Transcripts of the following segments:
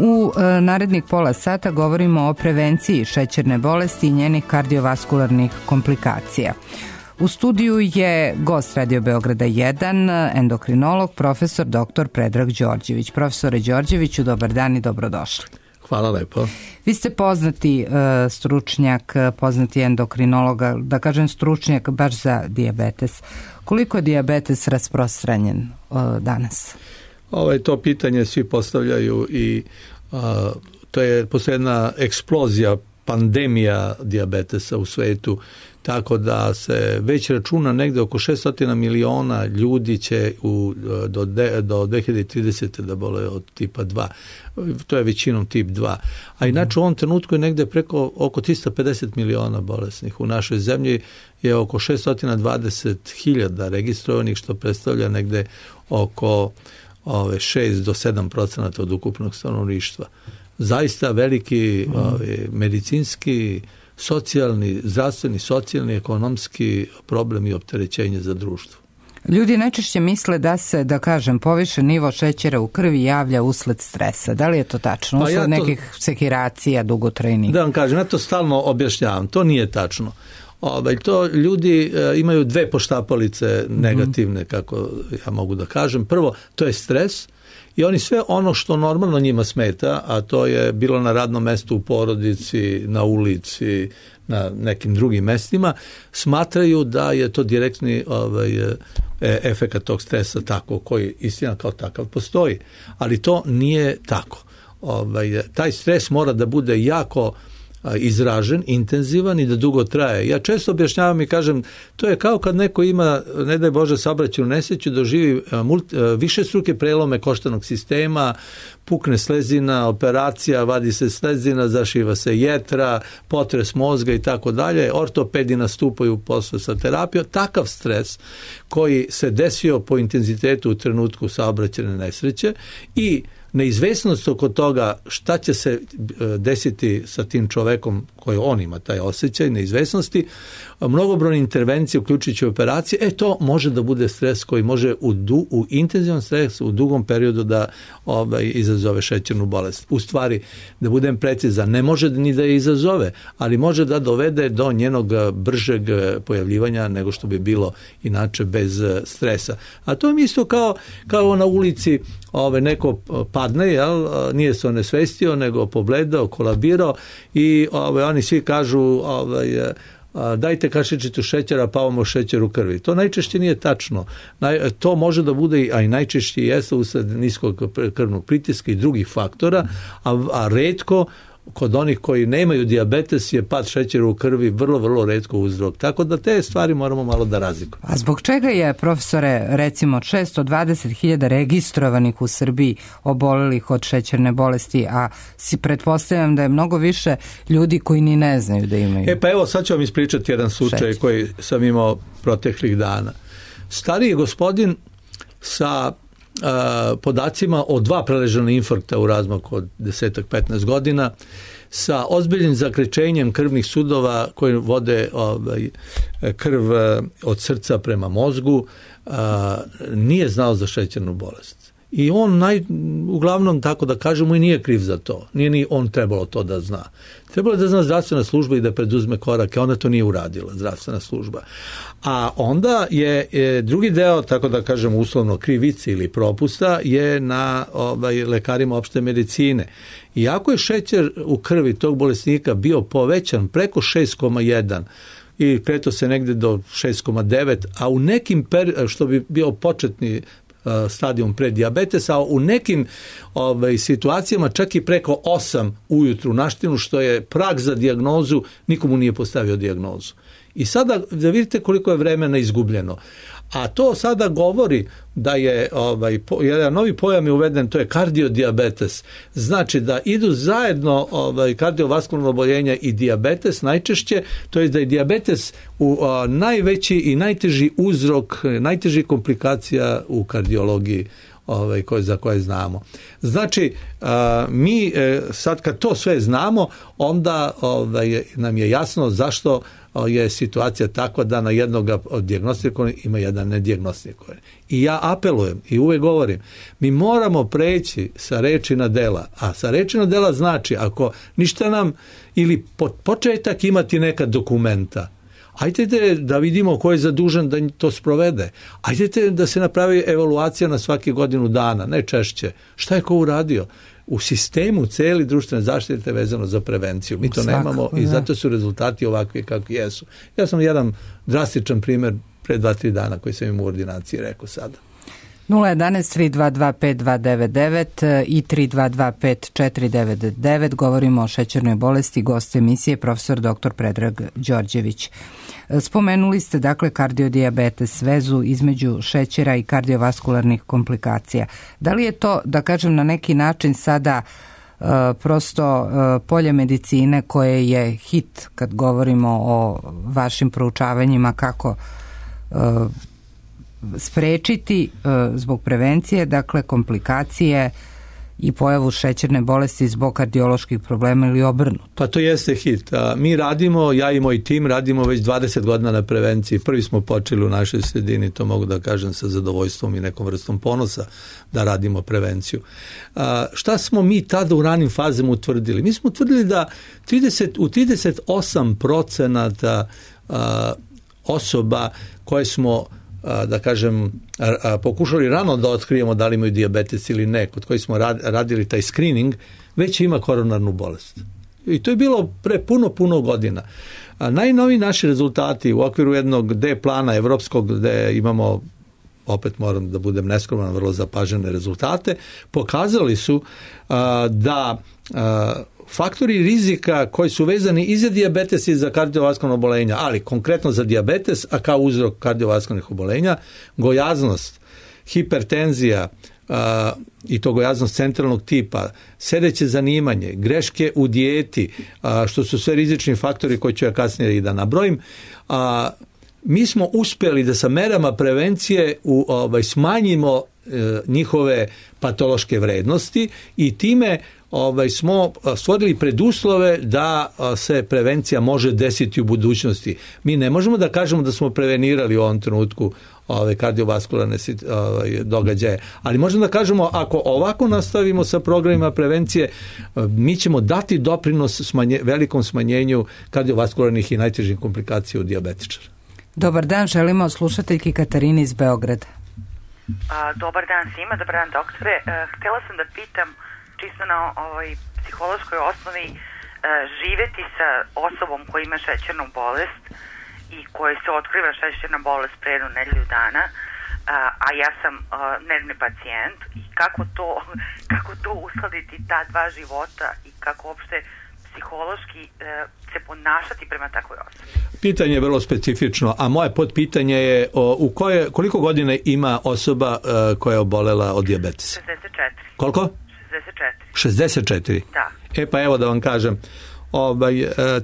U narednih pola sata govorimo o prevenciji šećerne bolesti i njenih kardiovaskularnih komplikacija. U studiju je gost Radio Beograda 1, endokrinolog, profesor dr. Predrag Đorđević. Profesore Đorđeviću, dobar dan i dobrodošli. Hvala lepo. Vi ste poznati stručnjak, poznati endokrinolog, da kažem stručnjak baš za dijabetes. Koliko je dijabetes rasprostranjen danas? To pitanje svi postavljaju i postoji jedna eksplozija, pandemija dijabetesa u svetu, tako da se već računa negde oko 600 miliona ljudi će do 2030. da bole od tipa 2. To je većinom tip 2. A inače u ovom trenutku je negde oko 350 miliona bolesnih. U našoj zemlji je oko 620.000 registrovanih, što predstavlja negde oko 6 do 7% od ukupnog stanovništva. Zaista veliki medicinski, socijalni, zdravstveni, socijalni, ekonomski problem i opterećenje za društvo. Ljudi najčešće misle da se, da kažem, povišen nivo šećera u krvi javlja usled stresa. Da li je to tačno? Usled nekih sekiracija dugotrajnih? Da vam kažem, ja to stalno objašnjavam. To nije tačno. To ljudi imaju dve poštapalice negativne, kako ja mogu da kažem. Prvo, to je stres i oni sve ono što normalno njima smeta, a to je bilo na radnom mestu, u porodici, na ulici, na nekim drugim mestima, smatraju da je to direktni efekat tog stresa tako, koji istina kao takav postoji. Ali to nije tako. Taj stres mora da bude jako izražen, intenzivan i da dugo traje. Ja često objašnjavam i kažem, to je kao kad neko ima, ne daj Bože, saobraćajnu nesreću, doživi višestruke prelome koštanog sistema, pukne slezina, operacija, vadi se slezina, zašiva se jetra, potres mozga i tako dalje, ortopedi nastupaju posle sa terapijom. Takav stres koji se desio po intenzitetu u trenutku saobraćajne nesreće i neizvesnost oko toga šta će se desiti sa tim čovekom koji on ima taj osjećaj neizvesnosti, mnogobrojne intervencije uključujući operacije, to može da bude stres koji može u intenzivan stres u dugom periodu da izazove šećernu bolest. U stvari, da budem precizan, ne može ni da je izazove, ali može da dovede do njenog bržeg pojavljivanja nego što bi bilo inače bez stresa. A to je isto kao na ulici neko padne, nije se onesvestio, nego pobledao, kolabirao i oni svi kažu dajte kašičicu šećera, pa imamo šećer u krvi. To najčešće nije tačno. To može da bude, a i najčešće jeste usled niskog krvnog pritiska i drugih faktora, a retko kod onih koji nemaju dijabetes je pad šećera u krvi vrlo, vrlo retko uzrok. Tako da te stvari moramo malo da razlikujemo. A zbog čega je, profesore, recimo 620.000 registrovanih u Srbiji obolelih od šećerne bolesti, a pretpostavljam da je mnogo više ljudi koji ni ne znaju da imaju? Sad ću vam ispričati jedan slučaj koji sam imao proteklih dana. Stariji gospodin sa podacima o 2 preležana infarkta u razmaku od 10-15 godina, sa ozbiljnim zakrečenjem krvnih sudova koji vode krv od srca prema mozgu, nije znao za šećernu bolest. I on uglavnom, tako da kažemo, i nije kriv za to. Nije ni on trebalo to da zna. Trebalo da zna zdravstvena služba i da preduzme korake. Ona to nije uradila, zdravstvena služba. A onda je drugi deo, tako da kažem, uslovno krivice ili propusta je na lekarima opšte medicine. Iako je šećer u krvi tog bolesnika bio povećan preko 6,1 i kreto se negde do 6,9, a u nekim što bi bio početni stadijum predijabetesa, a u nekim situacijama čak i preko 8 ujutru naštinu, što je prag za dijagnozu, nikomu nije postavio dijagnozu. I sada da vidite koliko je vremena izgubljeno. A to sada govori da je jedan novi pojam je uveden, to je kardiodijabetes. Znači da idu zajedno kardiovaskularno oboljenje i dijabetes najčešće, to je da je dijabetes najveći i najteži uzrok, najteži komplikacija u kardiologiji za koje znamo. Znači, mi sad kad to sve znamo, onda nam je jasno zašto je situacija takva da na jednog dijagnostikovanog ima jedan nedijagnostikovanog. I ja apelujem i uvek govorim, mi moramo preći sa reči na dela, a sa reči na dela znači ako ništa nam ili početak imati neka dokumenta, ajdete da vidimo ko je zadužen da to sprovede. Ajdete da se napravi evaluacija na svaki godinu dana, ne češće. Šta je ko uradio? U sistemu celi društvene zaštite vezano za prevenciju. Mi to nemamo i zato su rezultati ovakvi kakvi jesu. Ja sam jedan drastičan primjer pre 2-3 dana koji sam im u ordinaciji rekao sada. 011-322-5299 i 322-5499. Govorimo o šećernoj bolesti. Gost emisije profesor dr. Predrag Đorđević. Spomenuli ste dakle kardiodijabetes, vezu između šećera i kardiovaskularnih komplikacija. Da li je to, da kažem, na neki način sada prosto polje medicine koje je hit kad govorimo o vašim proučavanjima kako sprečiti zbog prevencije, dakle komplikacije i pojavu šećerne bolesti zbog kardioloških problema ili obrnuto? Pa to jeste hit. Mi radimo, ja i moj tim radimo već 20 godina na prevenciji. Prvi smo počeli u našoj sredini, to mogu da kažem sa zadovoljstvom i nekom vrstom ponosa da radimo prevenciju. Šta smo mi tada u ranim fazama utvrdili? Mi smo utvrdili da u 38% osoba koje smo da kažem pokušali rano da otkrijemo da li imaju dijabetes ili ne, kod koji smo radili taj screening, već ima koronarnu bolest. I to je bilo pre puno godina. Najnoviji naši rezultati u okviru jednog D plana evropskog gde imamo, opet moram da budem neskroman, vrlo zapažene rezultate, pokazali su da faktori rizika koji su vezani i za dijabetes i za kardiovaskularna obolenja, ali konkretno za dijabetes, a kao uzrok kardiovaskularnih obolenja, gojaznost, hipertenzija i to gojaznost centralnog tipa, sedeće zanimanje, greške u dijeti, što su sve rizični faktori koji ću ja kasnije i da nabrojim, mi smo uspjeli da sa merama prevencije smanjimo njihove patološke vrednosti i time smo stvorili preduslove da se prevencija može desiti u budućnosti. Mi ne možemo da kažemo da smo prevenirali u ovom trenutku kardiovaskularne događaje, ali možemo da kažemo ako ovako nastavimo sa programima prevencije, mi ćemo dati doprinos velikom smanjenju kardiovaskularnih i najtežih komplikacija u dijabetičara. Dobar dan, želimo slušateljki Katarini iz Beograda. Dobar dan svima, dobar dan doktore. Htjela sam da pitam čisto na psihološkoj osnovi, živeti sa osobom koja ima šećernu bolest i koja se otkriva šećerna bolest pre jednu nedelju dana, a ja sam nervni pacijent, i kako to uskladiti ta dva života i kako uopšte psihološki se ponašati prema takvoj osobi? Pitanje je vrlo specifično, a moje podpitanje je koliko godina ima osoba koja je obolela od dijabetesa? 64. Koliko? 64. Da. Pa evo da vam kažem,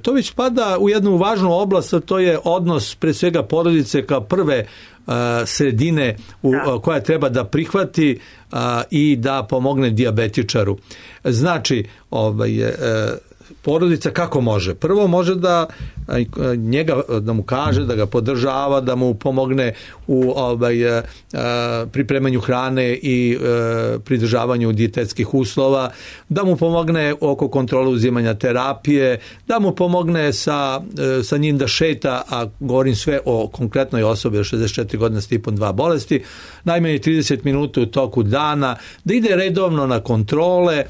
to već spada u jednu važnu oblast, a to je odnos pre svega porodice kao prve sredine koja treba da prihvati i da pomogne dijabetičaru. Znači, porodica kako može? Prvo može da mu kaže, da ga podržava, da mu pomogne u pripremanju hrane i pridržavanju dijetetskih uslova, da mu pomogne oko kontrole uzimanja terapije, da mu pomogne sa njim da šeta, a govorim sve o konkretnoj osobi od 64 godine s tipom 2 bolesti, najmanje 30 minuta u toku dana, da ide redovno na kontrole.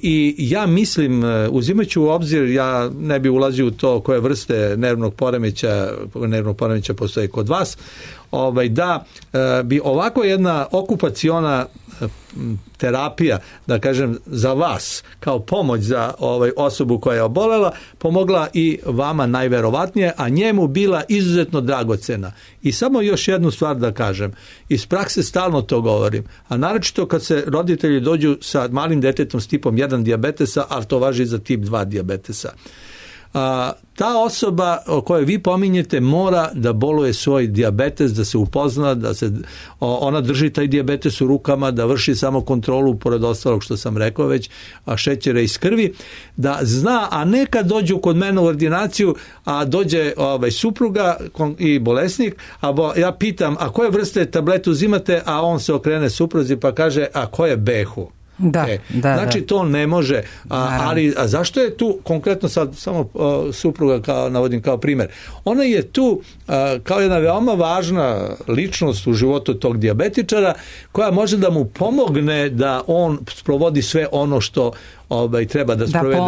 I ja mislim, uzimajući u obzir, ja ne bi ulazio u to koje vrste nervnog poremeća postoje kod vas, da bi ovako jedna okupaciona terapija, da kažem, za vas kao pomoć za osobu koja je obolela, pomogla i vama najverovatnije, a njemu bila izuzetno dragocena. I samo još jednu stvar da kažem, iz prakse stalno to govorim, a naročito kad se roditelji dođu sa malim detetom s tipom 1 dijabetesa, ali to važi za tip 2 dijabetesa. ta osoba o kojoj vi pominjete mora da boluje svoj dijabetes, da se upozna, da se ona drži taj dijabetes u rukama, da vrši samo kontrolu, pored ostalog što sam rekao već, šećera iz krvi, da zna, a ne kad dođu kod mene u ordinaciju, a dođe supruga i bolesnik, ja pitam, a koje vrste tablete uzimate, a on se okrene supruzi pa kaže, a koje behu? Znači to ne može, ali zašto je tu konkretno sad samo supruga navodim kao primjer, ona je tu kao jedna veoma važna ličnost u životu tog dijabetičara koja može da mu pomogne da on sprovodi sve ono što treba da sprovede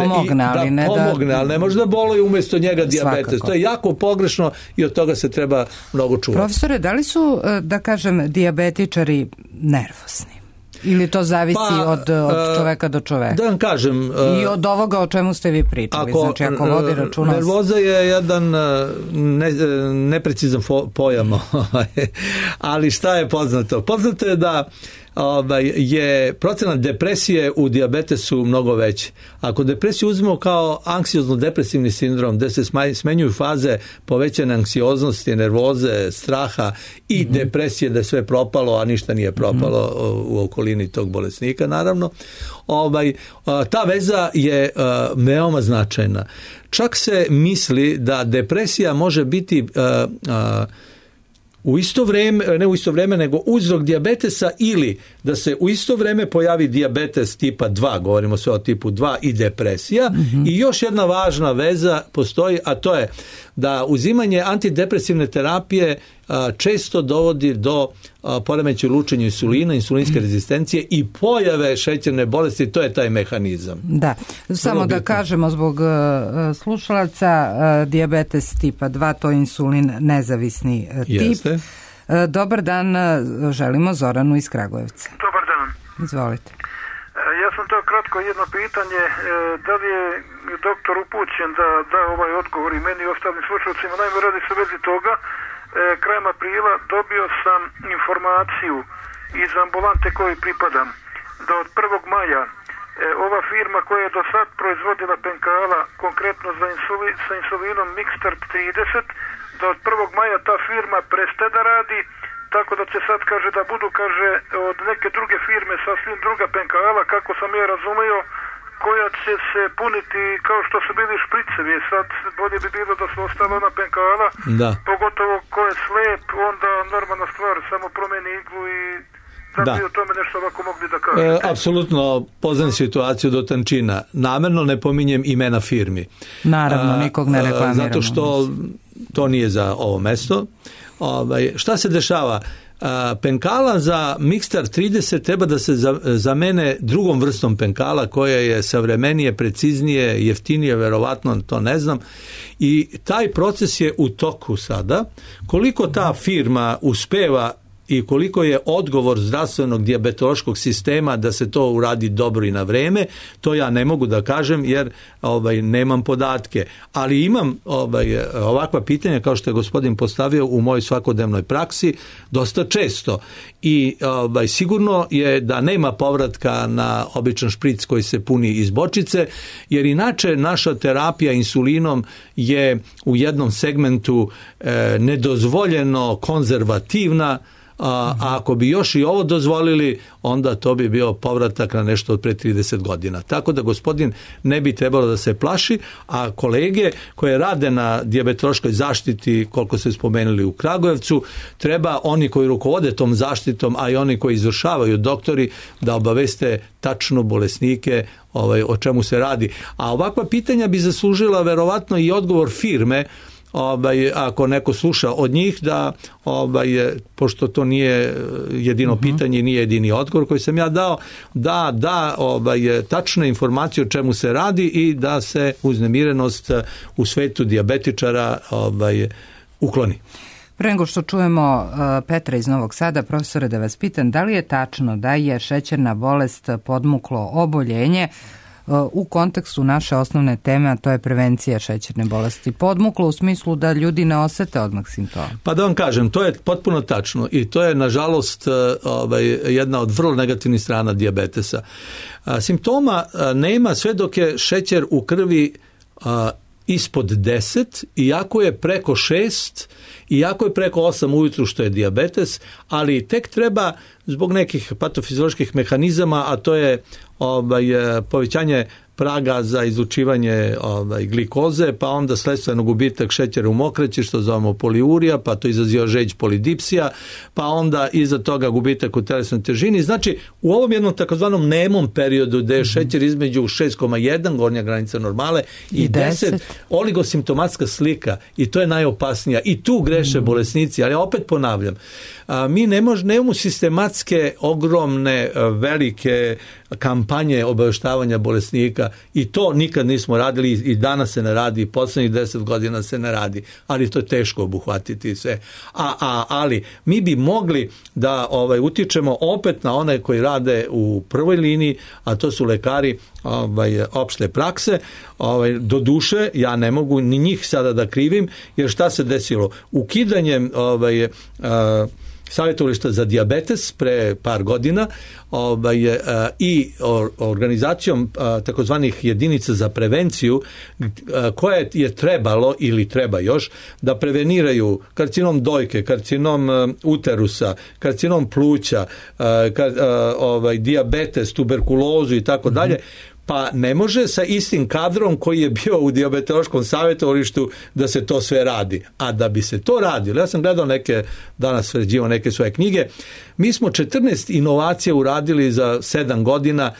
ali ne može da boluje umjesto njega dijabetes. Svakako. To je jako pogrešno i od toga se treba mnogo čuvati. Profesore, da li su, da kažem, dijabetičari nervozni? Ili to zavisi od čoveka do čoveka? Da vam kažem... I od ovoga o čemu ste vi pričali. Znači, ako vodi računa... Nervoza je jedan neprecizan pojam. Ali šta je poznato? Poznato je da je procenat depresije u dijabetesu mnogo veći. Ako depresiju uzmemo kao anksiozno-depresivni sindrom, gde se smenjuju faze povećane anksioznosti, nervoze, straha i depresije, da je sve propalo, a ništa nije propalo u okolini tog bolesnika, naravno, ta veza je veoma značajna. Čak se misli da depresija može biti u isto vrijeme, ne u isto vrijeme, nego uzrok dijabetesa, ili da se u isto vrijeme pojavi dijabetes tipa 2, govorimo sve o tipu 2, i depresija. I još jedna važna veza postoji, a to je da uzimanje antidepresivne terapije često dovodi do poremećaja u lučenju insulina, insulinske rezistencije i pojave šećerne bolesti. To je taj mehanizam. Da, samo da kažemo zbog slušalaca, dijabetes tipa 2, to je insulin nezavisni tip. Jeste. Dobar dan, želimo Zoranu iz Kragujevca. Dobar dan. Izvolite. Ja sam to kratko jedno pitanje, da li je doktor upućen da ovaj odgovor i meni i ostalim slušalcima. Naime, radi se u vezi toga, krajem aprila dobio sam informaciju iz ambulante kojoj pripadam, da od 1. maja ova firma koja je do sad proizvodila penkala, konkretno sa insulinom Mixtart 30, da od 1. maja ta firma prestaje da radi, tako da će sad, kaže, da budu, kaže, od neke druge firme sasvim druga penkala, kako sam ja razumio, koja će se puniti kao što su bili špricevi. Sad bolje bi bilo da su ostala ona penkala, pogotovo ko je slep, onda normalna stvar, samo promeni iglu i da bi o tome nešto ovako mogli da kažete. Apsolutno poznam situaciju do tančina. Namerno ne pominjem imena firmi. Naravno, nikog ne reklamiramo. Zato što to nije za ovo mesto. Šta se dešava? Penkala za Mixtart 30 treba da se zamene drugom vrstom penkala koja je savremenije, preciznije, jeftinije, verovatno, to ne znam. I taj proces je u toku sada. Koliko ta firma uspeva i koliko je odgovor zdravstvenog dijabetološkog sistema da se to uradi dobro i na vreme, to ja ne mogu da kažem jer nemam podatke. Ali imam ovakva pitanja kao što je gospodin postavio u mojoj svakodnevnoj praksi dosta često. I sigurno je da nema povratka na običan špric koji se puni iz bočice, jer inače naša terapija insulinom je u jednom segmentu nedozvoljeno konzervativna, a ako bi još i ovo dozvolili, onda to bi bio povratak na nešto od pre 30 godina. Tako da gospodin ne bi trebalo da se plaši, a kolege koje rade na dijabetološkoj zaštiti, koliko ste spomenuli u Kragujevcu, treba oni koji rukovode tom zaštitom, a i oni koji izvršavaju, doktori, da obaveste tačno bolesnike o čemu se radi. A ovakva pitanja bi zaslužila verovatno i odgovor firme, ako neko sluša od njih, da pošto to nije jedino pitanje, nije jedini odgovor koji sam ja dao, da tačne informacije o čemu se radi i da se uznemirenost u svetu dijabetičara ukloni. Pre nego što čujemo Petra iz Novog Sada, profesore, da vas pitam, da li je tačno da je šećerna bolest podmuklo oboljenje u kontekstu naše osnovne teme, a to je prevencija šećerne bolesti? Podmuklo u smislu da ljudi ne osete odmah simptoma. Pa da vam kažem, to je potpuno tačno i to je nažalost jedna od vrlo negativnih strana dijabetesa. Simptoma nema sve dok je šećer u krvi ispod 10, iako je preko 6, iako je preko 8 ujutru, što je dijabetes, ali tek treba zbog nekih patofizioloških mehanizama, a to je povećanje praga za izlučivanje glikoze, pa onda sledstveno gubitak šećera u mokraći, što zovemo poliurija, pa to izaziva žeđ polidipsija, pa onda iza toga gubitak u telesnoj težini. Znači, u ovom jednom takozvanom nemom periodu gde je šećer između 6,1, gornja granica normale, i 10, oligosimptomatska slika, i to je najopasnija. I tu greše bolesnici, ali opet ponavljam, mi nemamo sistematske, ogromne, velike kampanje obaveštavanja bolesnika, i to nikad nismo radili, i danas se ne radi, i poslednjih 10 godina se ne radi, ali to je teško obuhvatiti sve. Ali mi bi mogli da utičemo opet na one koji rade u prvoj liniji, a to su lekari opšte prakse. Do duše, ja ne mogu ni njih sada da krivim, jer šta se desilo? Ukidanjem savjetovališta za dijabetes pre par godina i organizacijom takozvanih jedinica za prevenciju, koje je trebalo ili treba još da preveniraju karcinom dojke, karcinom uterusa, karcinom pluća, dijabetes, tuberkulozu i tako dalje. Pa ne može sa istim kadrom koji je bio u dijabetološkom savjetovalištu da se to sve radi. A da bi se to radilo, ja sam gledao danas sređivao neke svoje knjige, mi smo 14 inovacija uradili za 7 godina,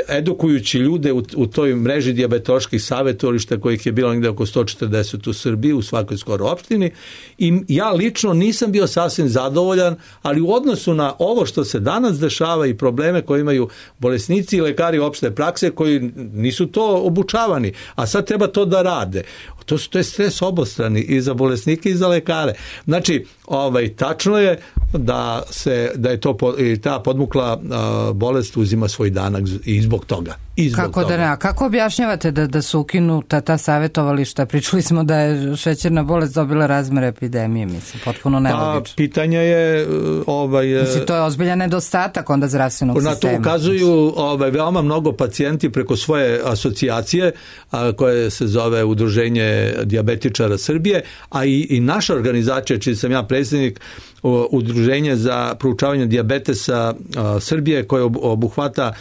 edukujući ljude u toj mreži dijabetoloških savjetovališta, kojih je bilo negde oko 140 u Srbiji, u svakoj skoro opštini, i ja lično nisam bio sasvim zadovoljan, ali u odnosu na ovo što se danas dešava i probleme koje imaju bolesnici i lekari opšte prakse koji nisu to obučavani, a sad treba to da rade. To je stres obostrani i za bolesnike i za lekare. Znači, tačno je da je to i ta podmukla bolest uzima svoj danak i zbog toga. Kako objašnjavate da su ukinuta ta savjetovališta? Pričali smo da je šećerna bolest dobila razmere epidemije, mislim, potpuno nelogično. Pitanje je... Mislim, to je ozbiljan nedostatak onda zdravstvenog sistema. Na to ukazuju veoma mnogo pacijenti preko svoje asocijacije, koje se zove Udruženje dijabetičara Srbije, a i naša organizacija, čiji sam ja predsjednik, Udruženje za proučavanje dijabetesa Srbije, koje obuhvata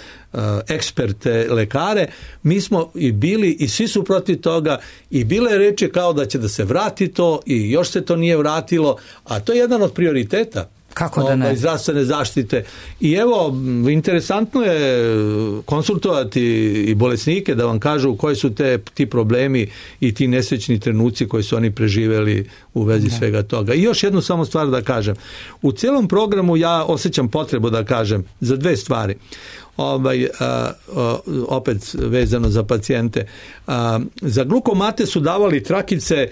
eksperte, lekare, mi smo i bili i svi su protiv toga, i bile je reči kao da će da se vrati to i još se to nije vratilo, a to je jedan od prioriteta. Kako da ne? Zdravstvene zaštite. I evo, interesantno je konsultovati i bolesnike da vam kažu koji su ti problemi i ti nesrećni trenuci koji su oni preživeli u vezi svega toga. I još jednu samo stvar da kažem. U celom programu ja osjećam potrebu da kažem za dve stvari. Opet vezano za pacijente. Za glukomate su davali trakice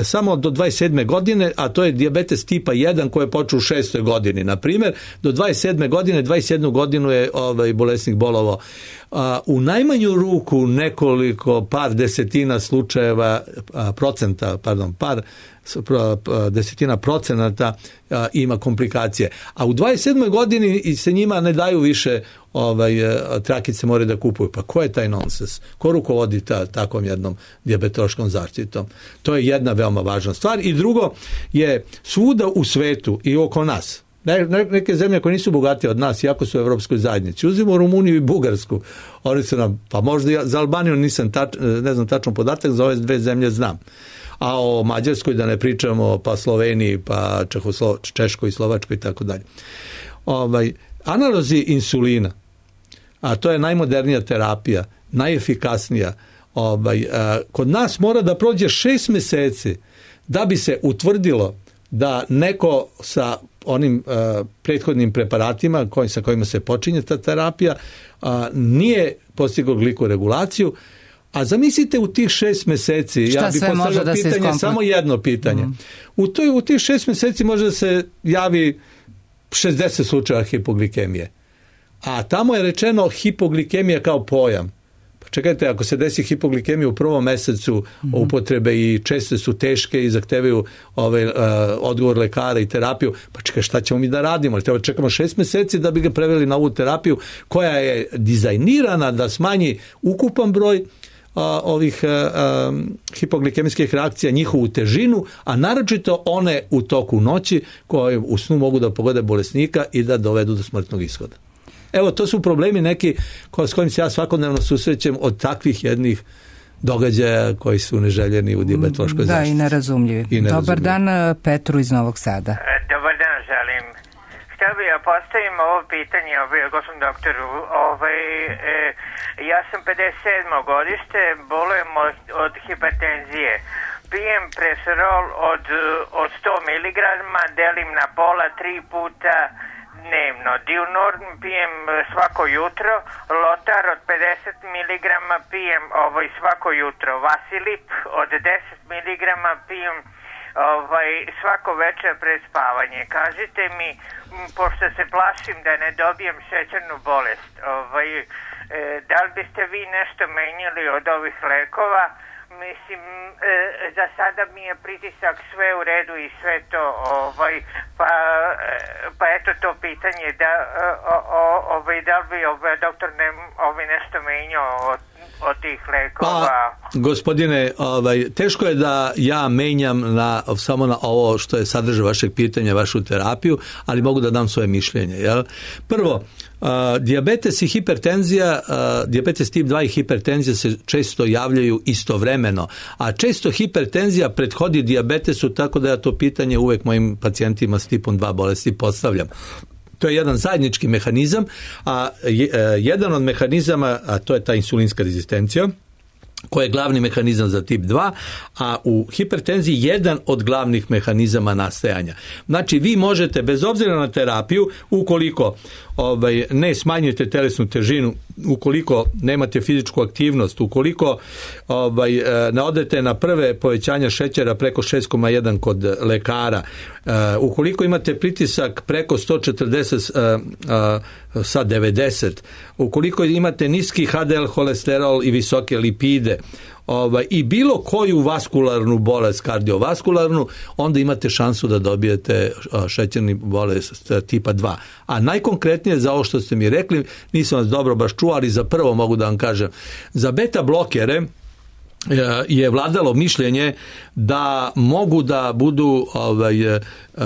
samo do 27. godine, a to je dijabetes tipa 1 koji je počeo u 6. godini. Na primjer, do 27. godine, 21. godinu je bolesnik bolovao. U najmanju ruku nekoliko, par desetina slučajeva, desetina procenata ima komplikacije. A u 27. godini se njima ne daju više trakice, moraju da kupuju. Pa ko je taj nonsens? Ko rukovodi takvom jednom dijabetološkom zaštitom? To je jedna veoma važna stvar. I drugo je svuda u svetu i oko nas, neke zemlje koje nisu bogatije od nas, iako su u Evropskoj zajednici, uzimo Rumuniju i Bugarsku, oni su nam, pa možda za Albaniju ne znam tačno podatak, za ove dve zemlje znam. A o Mađarskoj da ne pričamo, pa Sloveniji, pa Češkoj i Slovačkoj i tako dalje. Analozi insulina, a to je najmodernija terapija, najefikasnija, kod nas mora da prođe 6 meseci da bi se utvrdilo da neko sa onim prethodnim preparatima sa kojima se počinje ta terapija nije postigao glikoregulaciju. A zamislite u tih 6 meseci, ja bih postavio pitanje, samo jedno pitanje. U tih 6 meseci može da se javi 60 slučaja hipoglikemije. A tamo je rečeno hipoglikemija kao pojam. Pa čekajte, ako se desi hipoglikemija u prvom mesecu upotrebe i često su teške i zahtevaju odgovor lekara i terapiju, pa čekaj, šta ćemo mi da radimo? Treba čekamo 6 meseci da bi ga preveli na ovu terapiju koja je dizajnirana da smanji ukupan broj ovih hipoglikemijskih reakcija, njihovu težinu, a naročito one u toku noći koje u snu mogu da pogode bolesnika i da dovedu do smrtnog ishoda. Evo, to su problemi neki s kojim se ja svakodnevno susrećem od takvih jednih događaja koji su neželjeni u dijabetološkoj zaštiti. Da, i nerazumljivi. Dobar dan, Petru iz Novog Sada. Dobar dan, želim. Htio bih ja postavim ovo pitanje gospodinu doktoru. Ja sam 57. godište, bolujem od hipertenzije. Pijem preserol od 100 mg, delim na pola 3 puta dnevno. Diunorm pijem svako jutro, Lotar od 50 mg pijem svako jutro, Vasilip od 10 mg pijem svako večer pred spavanje. Kažite mi, pošto se plašim da ne dobijem šećernu bolest, da li biste vi nešto menjali od ovih lekova? Mislim, za sada mi je pritisak sve u redu i sve to, pa eto to pitanje, da li bi doktor nešto menjao od tih lekova? Pa, gospodine, teško je da ja menjam samo na ovo što je sadržaj vašeg pitanja, vašu terapiju, ali mogu da dam svoje mišljenje. Jel? Prvo, dijabetes i hipertenzija, dijabetes tip 2 i hipertenzija se često javljaju istovremeno, a često hipertenzija prethodi dijabetesu, tako da ja to pitanje uvek mojim pacijentima s tipom 2 bolesti postavljam. To je jedan zajednički mehanizam, a jedan od mehanizama, a to je ta insulinska rezistencija, koji je glavni mehanizam za tip 2, a u hipertenziji jedan od glavnih mehanizama nastajanja. Znači, vi možete, bez obzira na terapiju, ukoliko ne smanjujete telesnu težinu, ukoliko nemate fizičku aktivnost, ukoliko ne odete na prve povećanja šećera preko 6,1 kod lekara, ukoliko imate pritisak preko 140 sa 90, ukoliko imate niski HDL holesterol i visoke lipide, i bilo koju vaskularnu bolest, kardiovaskularnu, onda imate šansu da dobijete šećerni bolest tipa 2. A najkonkretnije za ovo što ste mi rekli, nisam vas dobro baš čuo, ali za prvo mogu da vam kažem, za beta blokere je vladalo mišljenje da mogu da budu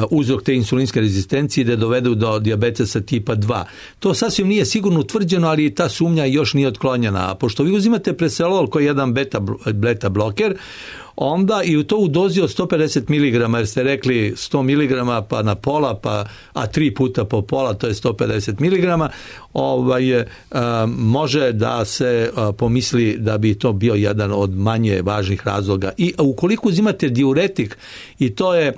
uzrok te insulinske rezistencije da dovedu do dijabetesa tipa 2. To sasvim nije sigurno utvrđeno, ali ta sumnja još nije otklonjena. A pošto vi uzimate preserol koji je jedan beta bloker, onda i to u dozi od 150 mg, jer ste rekli 100 mg pa na pola, a 3 puta po pola, to je 150 mg, može da se pomisli da bi to bio jedan od manje važnih razloga. I ukoliko uzimate diuretik, i to je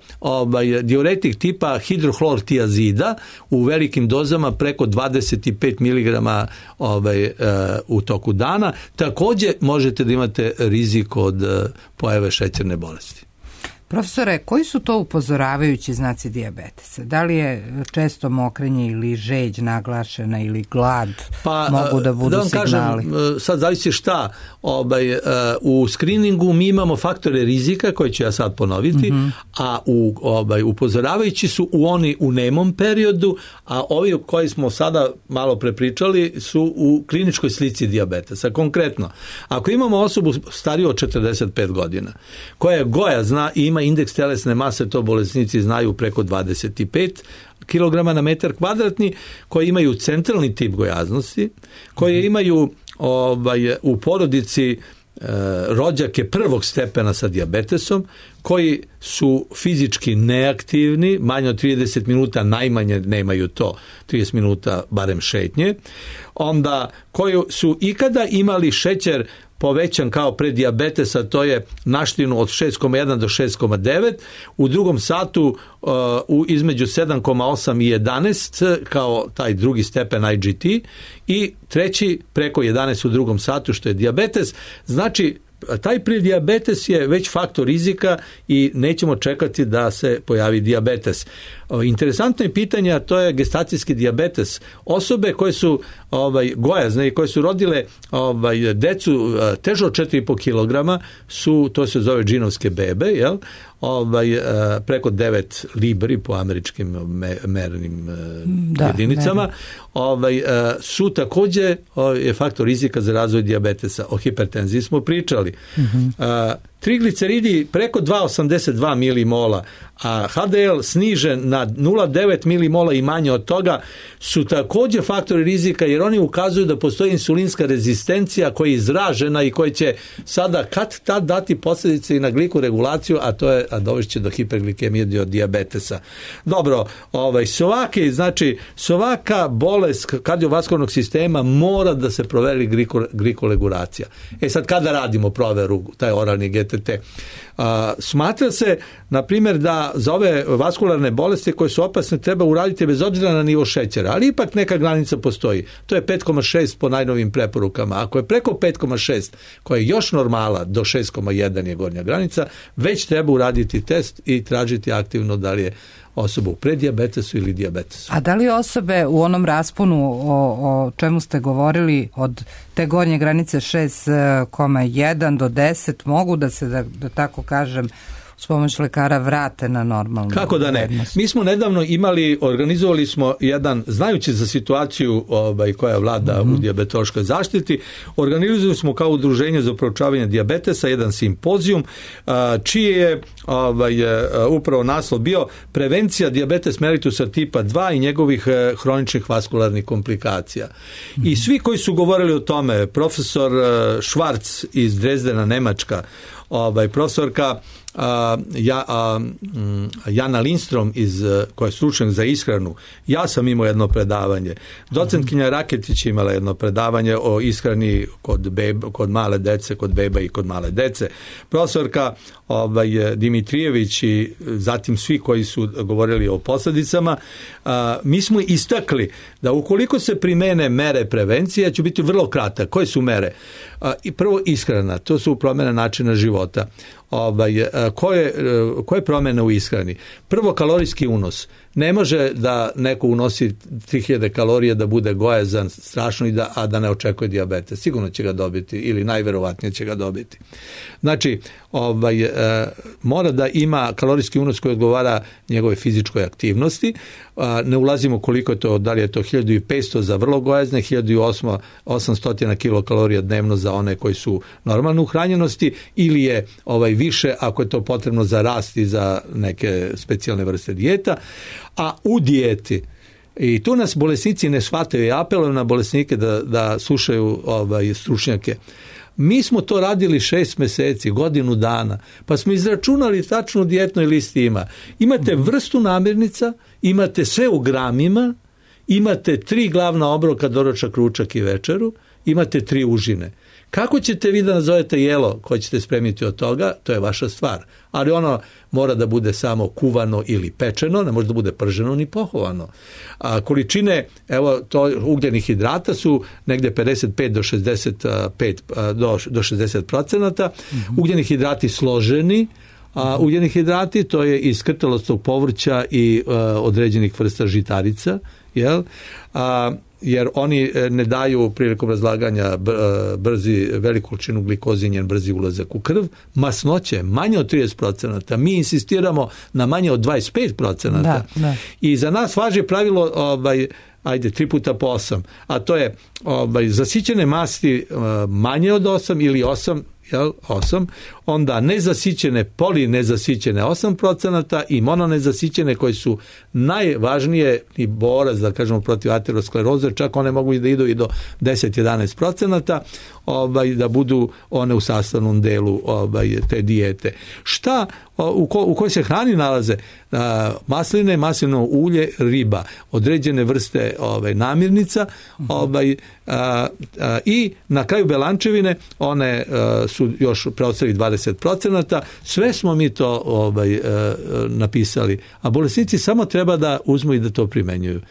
diuretik tipa hidrohlortiazida u velikim dozama preko 25 mg u toku dana, također možete da imate rizik od pojave šećerne bolesti. Profesore, koji su to upozoravajući znaci dijabetesa? Da li je često mokrenje ili žeđ naglašena ili glad mogu da budu signali? Kažem, sad zavisi šta. U skriningu mi imamo faktore rizika koje ću ja sad ponoviti, a upozoravajući su oni u nemom periodu, a ovi koji smo sada malo prepričali su u kliničkoj slici dijabetesa. Konkretno, ako imamo osobu stariju od 45 godina, koja je gojazna i ima indeks telesne mase, to bolesnici znaju, preko 25 kg na metar kvadratni, koji imaju centralni tip gojaznosti, koji imaju u porodici rođake prvog stepena sa dijabetesom, koji su fizički neaktivni, manje od 30 minuta, najmanje nemaju to, 30 minuta barem šetnje, onda koji su ikada imali šećer povećan kao pred dijabetesa, to je naštinu od 6,1 do 6,9, u drugom satu između 7,8 i 11 kao taj drugi stepen IGT i treći preko 11 u drugom satu što je dijabetes. Znači, taj predijabetes je već faktor rizika i nećemo čekati da se pojavi dijabetes. Interesantno je pitanje, a to je gestacijski dijabetes. Osobe koje su gojazne i koje su rodile decu teže od 4,5 kilograma su, to se zove džinovske bebe, jel? Preko 9 libri po američkim mernim jedinicama, su također je faktor rizika za razvoj dijabetesa. O hipertenziji smo pričali. Trigliceridi preko 2,82 milimola, a HDL snižen na 0,9 milimola i manje od toga su također faktori rizika, jer oni ukazuju da postoji insulinska rezistencija koja je izražena i koja će sada kad dati posljedice i na glikoregulaciju, a dovešće do hiperglikemije, do dijabetesa. Dobro, svaka bolest kardiovaskularnog sistema mora da se proveri glikoregulacija. Sad kada radimo proveru, taj oralni GTT? Smatra se, na primjer, da za ove vaskularne bolesti koje su opasne treba uraditi bez obzira na nivo šećera, ali ipak neka granica postoji. To je 5,6 po najnovim preporukama. Ako je preko 5,6, koja je još normala, do 6,1 je gornja granica, već treba uraditi test i tražiti aktivno da li je osoba u predijabetesu ili dijabetesu. A da li osobe u onom rasponu o čemu ste govorili od te gornje granice 6,1 do 10 mogu da se, da tako kažem, s pomoć lekara vrate na normalnu Kako da ne? vrednost? Mi smo nedavno organizovali smo jedan, znajući za situaciju koja vlada u dijabetološkoj zaštiti, organizovali smo kao udruženje za proučavanje dijabetesa jedan simpozijum, čiji je upravo naslov bio prevencija dijabetes mellitusa tipa 2 i njegovih hroničnih vaskularnih komplikacija. I svi koji su govorili o tome, profesor Schwarz iz Dresdena, Nemačka, profesorka Jana Lindstrom koja je stručnjak za ishranu. Ja sam imao jedno predavanje. Docentkinja Raketić imala jedno predavanje o ishrani kod male dece, kod beba i kod male dece. Profesorka Dimitrijević i zatim svi koji su govorili o posljedicama. Mi smo istakli da ukoliko se primene mere prevencije, ću biti vrlo kratak. Koje su mere? I prvo ishrana, to su promjene načina života. Koje promjene u ishrani? Prvo, kalorijski unos. Ne može da neko unosi 3000 kalorija da bude gojazan strašno a da ne očekuje dijabetes. Sigurno će ga dobiti ili najverovatnije će ga dobiti. Znači, mora da ima kalorijski unos koji odgovara njegove fizičkoj aktivnosti. Ne ulazimo koliko je to, da li je to 1500 za vrlo gojazne, 1800 kilokalorija dnevno za one koji su normalne uhranjenosti ili je više ako je to potrebno za rast i za neke specijalne vrste dijeta. A u dijeti, i tu nas bolesnici ne shvataju, ja apelujem na bolesnike da slušaju stručnjake. Mi smo to radili 6 mjeseci, godinu dana, pa smo izračunali tačnu dijetnoj listi ima. Imate vrstu namirnica, imate sve u gramima, imate 3 glavna obroka, doručak, ručak i večeru, imate 3 užine. Kako ćete vi da nazovete jelo koje ćete spremiti od toga, to je vaša stvar. Ali ono mora da bude samo kuvano ili pečeno, ne može da bude prženo ni pohovano. Količine, ugljenih hidrata su negde 55 do 65 do 60%. Ugljeni hidrati složeni, ugljeni hidrati, to je iz krtelostog povrća i određenih vrsta žitarica, jel? Jer oni ne daju prilikom razlaganja veliku količinu glikoze i njen brzi ulazak u krv. Masnoće manje od 30%. Mi insistiramo na manje od 25%. Da. I za nas važi pravilo 3 puta po 8, a to je zasićene masti manje od 8 ili 8, 8, onda nezasićene, polinezasićene 8% i mononezasićene koje su najvažnije i borac, da kažemo, protiv ateroskleroze, čak one mogu da idu i do 10-11%, da budu one u sastavnom delu te dijete. Šta u kojoj se hrani nalaze? Masline, maslinovo ulje, riba, određene vrste namirnica, i na kraju belančevine, one su još preostali 20%. Sve smo mi to napisali, a bolesnici samo treba da uzmu i da to primenjuju.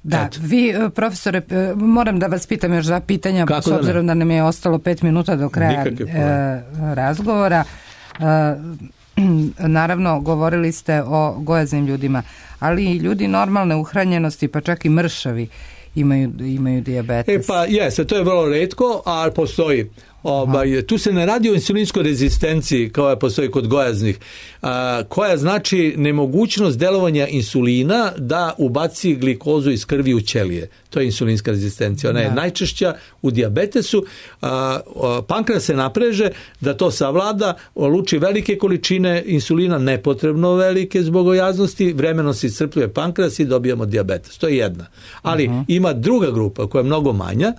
Da, vi, profesore, moram da vas pitam još 2 pitanja, s obzirom da nam je ostalo 5 minuta do kraja razgovora. Naravno, govorili ste o gojaznim ljudima, ali i ljudi normalne uhranjenosti, pa čak i mršavi imaju dijabetes. Pa jeste, to je vrlo retko, a postoji. Tu se ne radi o insulinskoj rezistenciji kao je postoji kod gojaznih, koja znači nemogućnost delovanja insulina da ubaci glikozu iz krvi u ćelije. To je insulinska rezistencija. Ona je najčešća u dijabetesu. Pankreas se napreže da to savlada, luči velike količine insulina, nepotrebno velike zbog gojaznosti, vremeno se iscrpljuje pankreas i dobijamo dijabetes. To je jedna. Ali ima druga grupa koja je mnogo manja,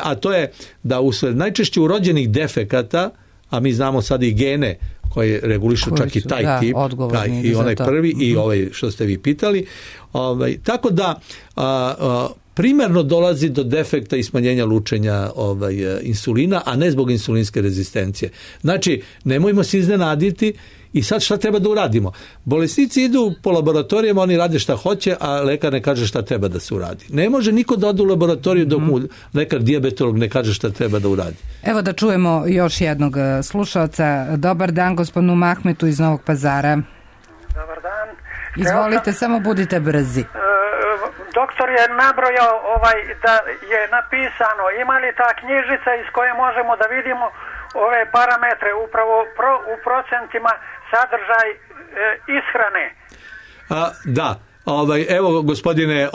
a to je da usled najčešće urođenih defekata, a mi znamo sad i gene koji regulišu čak i taj tip, i onaj prvi i ovaj što ste vi pitali, tako da primarno dolazi do defekta i smanjenja lučenja insulina, a ne zbog insulinske rezistencije. Znači, nemojmo se iznenaditi. I sad šta treba da uradimo? Bolesnici idu po laboratorijama, oni rade šta hoće, a lekar ne kaže šta treba da se uradi. Ne može niko da ode u laboratoriju dok mu lekar dijabetolog ne kaže šta treba da uradi. Evo da čujemo još jednog slušalca. Dobar dan gospodinu Mahmetu iz Novog Pazara. Dobar dan. Izvolite, samo budite brzi. Doktor je nabrojao da je napisano, ima li ta knjižica iz koje možemo da vidimo ove parametre upravo u procentima sadržaj ishrane? Da. Evo gospodine,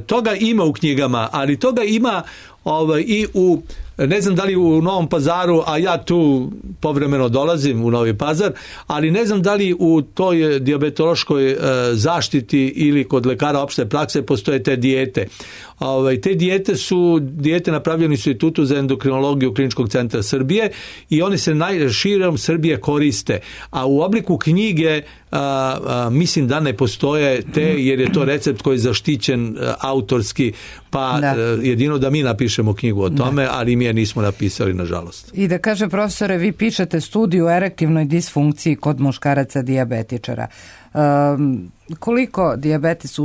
toga ima u knjigama, ali toga ima i u, ne znam da li u Novom Pazaru, a ja tu povremeno dolazim u Novi Pazar, ali ne znam da li u toj dijabetološkoj zaštiti ili kod lekara opšte prakse postoje te dijete. Te dijete napravljene u Institutu za endokrinologiju Kliničkog centra Srbije i one se širom Srbije koriste, a u obliku knjige mislim da ne postoje te, jer je to recept koji je zaštićen autorski, pa jedino da mi napišemo knjigu o tome, ali mi je nismo napisali, nažalost. I da kaže profesore, vi pišete studiju o erektilnoj disfunkciji kod muškaraca dijabetičara. Koliko dijabetes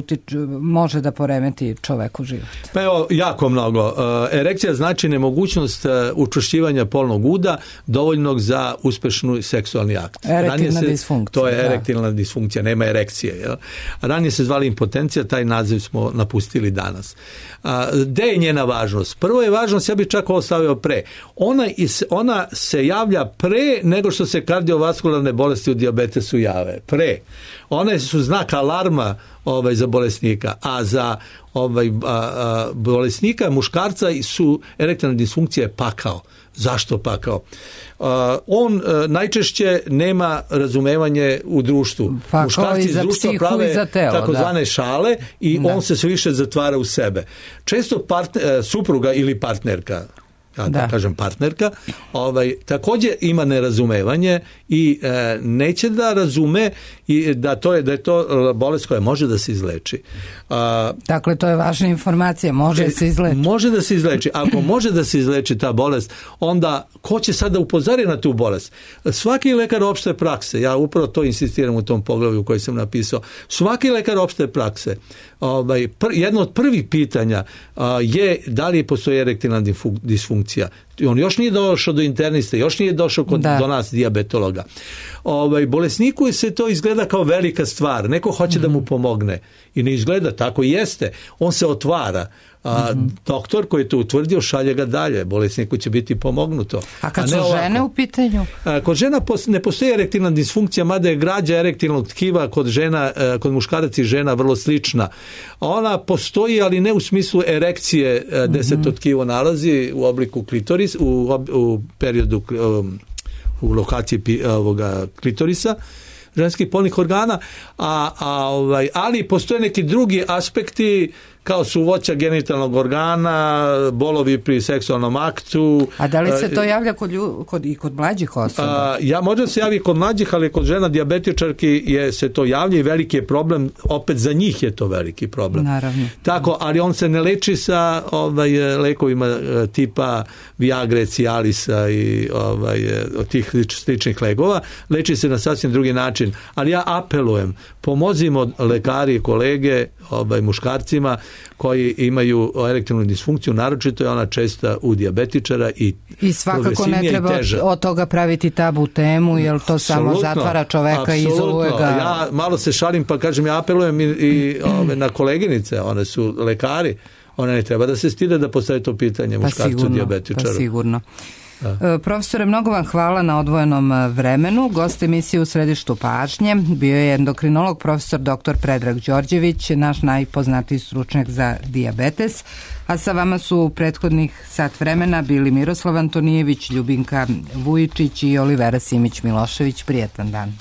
može da poremeti čoveku život? Pa evo, jako mnogo. Erekcija znači nemogućnost učvršćivanja polnog uda dovoljnog za uspešnu seksualni akt. Erektilna disfunkcija. To je erektilna disfunkcija, nema erekcije. Jel? Ranije se zvali impotencija, taj naziv smo napustili danas. Gde je njena važnost? Prvo je važnost, ja bih čak ovo stavio pre. Ona se javlja pre nego što se kardiovaskularne bolesti u dijabetesu jave. Pre. One su znak alarma za bolesnika, a za bolesnika muškarca su erektilna disfunkcija pakao. Zašto pakao? On najčešće nema razumevanje u društvu. Muškarci iz društva prave takozvane šale i on se sve više zatvara u sebe. Često supruga ili partnerka, kažem partnerka, također ima nerazumevanje i neće da razume i da je to bolest koja može da se izleči. Dakle, to je važna informacija, može se izleči. Može da se izleči. Ako može da se izleči ta bolest, onda ko će sada upozoriti na tu bolest? Svaki lekar opšte prakse, ja upravo to insistiram u tom poglavlju koji sam napisao, svaki lekar opšte prakse, jedno od prvih pitanja je da li postoji erektilna disfunkcija. On još nije došao do interniste, još nije došao do nas dijabetologa. Bolesniku se to izgleda kao velika stvar. Neko hoće da mu pomogne i ne izgleda tako, jeste. On se otvara. Doktor koji je to utvrdio šalje ga dalje. Bolesniku će biti pomognuto. A kad su žene u pitanju? Kod žena ne postoji erektilna disfunkcija, mada je građa erektilnog tkiva kod muškaraca i žena vrlo slična. Ona postoji, ali ne u smislu erekcije gde se to tkivo nalazi u obliku klitoris, u periodu u lokaciji klitorisa, ženskih polnih organa, ali postoje neki drugi aspekti kao su voća genitalnog organa, bolovi pri seksualnom aktu. A da li se to javlja kod mlađih osoba? Možda se javi kod mlađih, ali kod žena dijabetičarki se to javlja i veliki je problem, opet za njih je to veliki problem. Naravno. Tako, ali on se ne leči sa lekovima tipa Viagre, Cialisa i od tih sličnih lekova, leči se na sasvim drugi način. Ali ja apelujem, pomozimo lekari i kolege muškarcima koji imaju erektilnu disfunkciju, naročito je ona česta u dijabetičara i svakako ne treba od toga praviti tabu temu, jer to samo zatvara čoveka i izoluje ga. Ja malo se šalim pa kažem, ja apelujem i na koleginice, one su lekari, one ne treba da se stide da postave to pitanje muškarcu dijabetičaru. Pa sigurno. Profesore, mnogo vam hvala na odvojenom vremenu. Gost emisije U središtu pažnje bio je endokrinolog profesor dr. Predrag Đorđević, naš najpoznatiji stručnjak za dijabetes, a sa vama su prethodnih sat vremena bili Miroslav Antonijević, Ljubinka Vujičić i Olivera Simić Milošević. Prijetan dan.